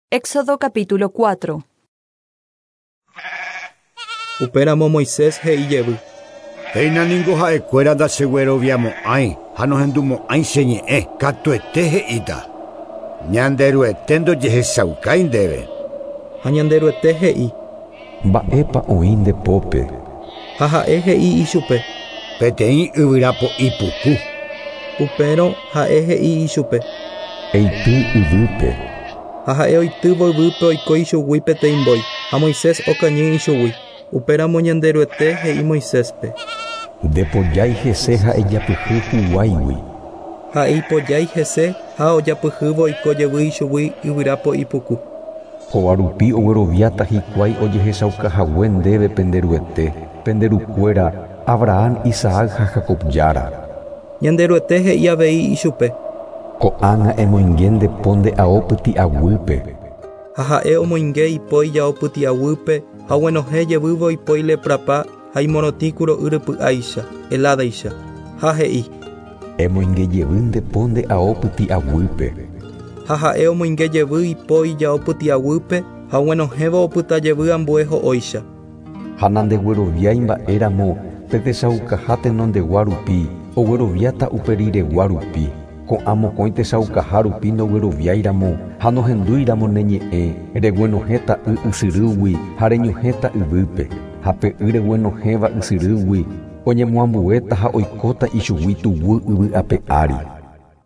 Éxodo capítulo 4. Upéramo Moisés he'i jevy. Péina ningo ha'ekuéra ndachegueroviamo'ãi ha nohendumo'ãi che ñe'ẽ, katuete he'íta. Ñanderuete ndojehechaukái ndéve. Ha Ñanderuete he'i. Mba'épa oĩ nde pópe. Ha ha'e he'i ichupe. Peteĩ yvyra po'i puku. Upérõ ha'e he'i ichupe. Eity yvýpe. Ha ha'e oitývo yvýpe oiko ichugui peteĩ mbói, ha Moisés okañy ichugui. Upéramo Ñanderuete he'i Moiséspe. Ndepojái hese ha ejapyhy huguáigui. Ha'e ipojái hese ha ojapyhývo oiko jevy ichugui yvyra po'i puku. Kóva rupi ogueroviáta hikuái ojehechauka hague ndéve pende Ruete, pende rukuéra, Abraham, Isaac ha Jacob Jára. Ñanderuete he'i avei ichupe. Ko'ág̃a emoinge nde po nde ao pyti'aguýpe. Ha ha'e omoinge ipo ijao pyti'aguýpe ha oguenohẽ jevývo ipo ileprapa ha imorotĩ kuro'y rypy'áicha, heládaicha. Ha he'i. Emoinge jevy nde po nde ao pyti'aguýpe. Ha ha'e omoinge jevy ipo ijao pyti'aguýpe ha oguenohẽvo opyta jevy ambue ho'óicha. Ha nandegueroviái mba'éramo pe techaukaha tenondegua rupi, ogueroviáta upe riregua rupi. Ko'ã mokõi techaukaha rupi ndogueroviáiramo ha nohendúiramo ne ñe'ẽ, reguenohẽta y ysyrýgui ha reñohẽta yvýpe, ha pe y reguenohẽva ysyrýgui oñemoambuéta ha oikóta ichugui tuguy yvy ape ári.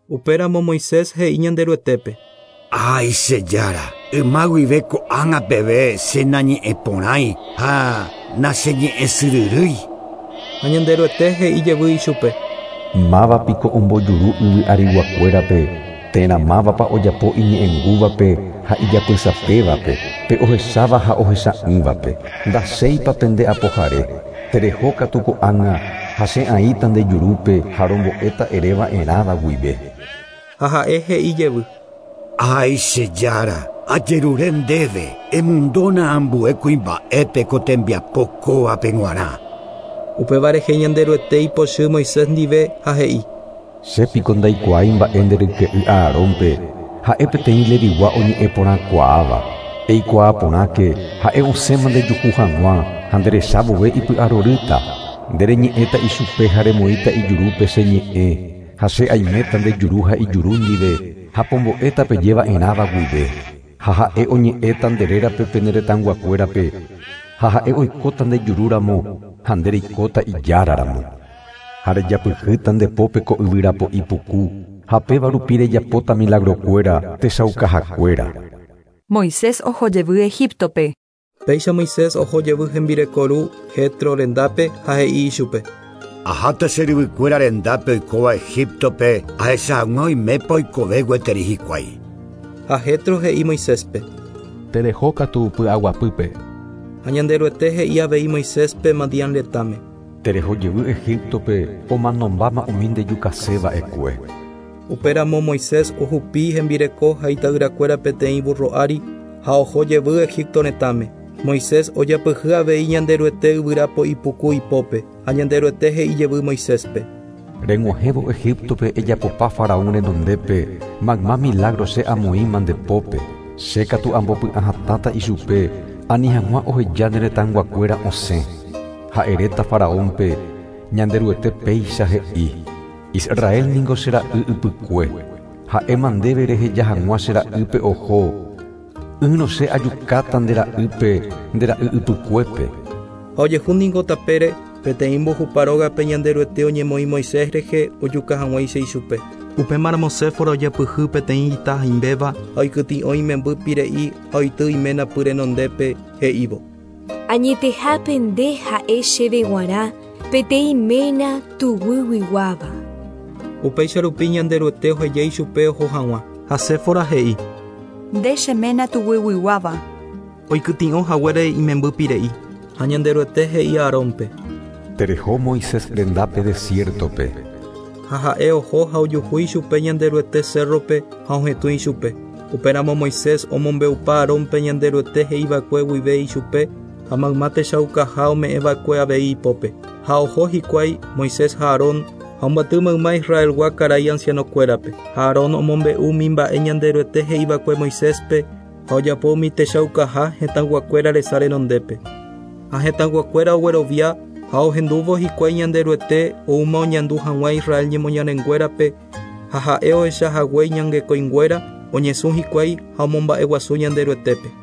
Upéramo Moisés he'i Ñanderuetépe. Ái che Jára, yma guive ko'ág̃a peve che nañe'ẽporãi ha nacheñe'ẽsyryrýi. Ha Ñanderuete he'i jevy ichupe. Máva piko ombojuru yvy ariguakuérape, térã mávapa ojapo iñe'ẽngúvape ha ijapysapévape, pe ohecháva ha ohecha'ỹvape? Ndachéipa pende apohare? Tereho katu ko'ág̃a, ha che aĩta nde jurúpe ha rombo'éta ere va'erãva guive. Ha ha'e he'i jevy. Ái che Jára, ajerure ndéve, emondóna ambue kuimba'épe ko tembiapo kóvape g̃uarã. Upéva rehe Ñanderuete ipochy Moisés ndive ha he'i. Che piko ndaikuaái mba'e nde ryke'y Aarónpe, ha'e peteĩ Levigua oñe'ẽ porãkuaáva. Eikuaa porãke, ha'e osẽma ndejuhu hag̃ua ha nderecha vove ipy'arorýta. Nde reñe'ẽta ichupe ha remoĩta ijurúpe che ñe'ẽ, ha che aiméta nde juru ha ijuru ndive, ha pombo'éta peje va'erãva guive. Ha ha'e oñe'ẽta nde rérape pene retãyguakuérape, ha ha'e oikóta nde juru ramo ha nde reikóta ijára ramo. Ha rejapyhýta nde pópe ko yvyra po'i puku, ha péva rupi rejapóta milagrokuéra, techaukahakuéra. Moisés oho jevy Egíptope. Péicha Moisés oho jevy hembireko ru Jetro rendápe ha he'i ichupe. Aháta che ryvykuéra rendápe oikóva Egíptope ahecha hag̃ua oimépa oikove gueteri hikuái. Ha Jetro he'i Moiséspe. Tereho katu py'aguapýpe. Ha Ñanderuete he'i avei Moiséspe Madián retãme. Tereho jevy Egíptope omanombáma umi ndejukase va'ekue. Upéramo Moisés ohupi hembireko ha ita'yrakuéra peteĩ burro ári ha oho jevy Egipto retãme. Moisés ojapyhy avei Ñanderuete yvyra po'i puku ipópe ha Ñanderuete he'i jevy Moiséspe. Reg̃uahẽvo Egíptope ejapopa Faraón renondépe mayma milagro che amoĩma nde pópe. Che katu ambopy'ahatãta ichupe ani hag̃ua oheja ne retãyguakuéra osẽ. Ha eréta Faraónpe, Ñanderuete péicha he'i, Israel ningo che ra'y ypykue. Ha'éma ndéve reheja hag̃ua che ra'ýpe oho, ỹrõ che ajukáta nde ra'ýpe nde ra'y ypykuépe. Ha ojehu ningo tapére, peteĩ mbohupa rógape Ñanderuete oñemoĩ Moisés rehe ojuka hag̃uáicha ichupe. Upémaramo Séfora ojapyhy peteĩ ita haimbéva ha oikytĩ'o imemby pire'i ha oity iména py renondépe he'ívo. Añetehápe nde ha'e chéve g̃uarã peteĩ ména tuguyguiguáva. Upéicha rupi Ñanderuete oheja ichupe oho hag̃ua. Ha Séfora he'i. Nde che ména tuguyguiguáva. Oikytĩ'o haguére imemby pire'i. Ha Ñanderuete he'i Aarónpe. Tereho Moisés rendápe desiértope. Ha ha'e oho ha ojuhu ichupe Ñanderuete cérrope ha ohetũ ichupe. Upéramo Moisés omombe'upa Aarónpe Ñanderuete he'iva'ekue guive ichupe ha mayma techaukaha ome'ẽva'ekue avei ipópe. Ha oho hikuái Moisés ha Aarón ha omboaty mayma Israelgua karai ancianokuérape. Ha Aarón omombe'u umi mba'e Ñanderuete he'iva'ekue Moiséspe Ha ojapo umi techaukaha hetãyguakuéra resa renondépe. Ha hetãyguakuéra oguerovia ha ohendúvo hikuái Ñanderuete oúma oñandu hag̃ua Israel ñemoñarenguérape ha ha'e ohecha hague iñangekõinguéra oñesũ hikuái ha omomba'eguasu Ñanderuetépe.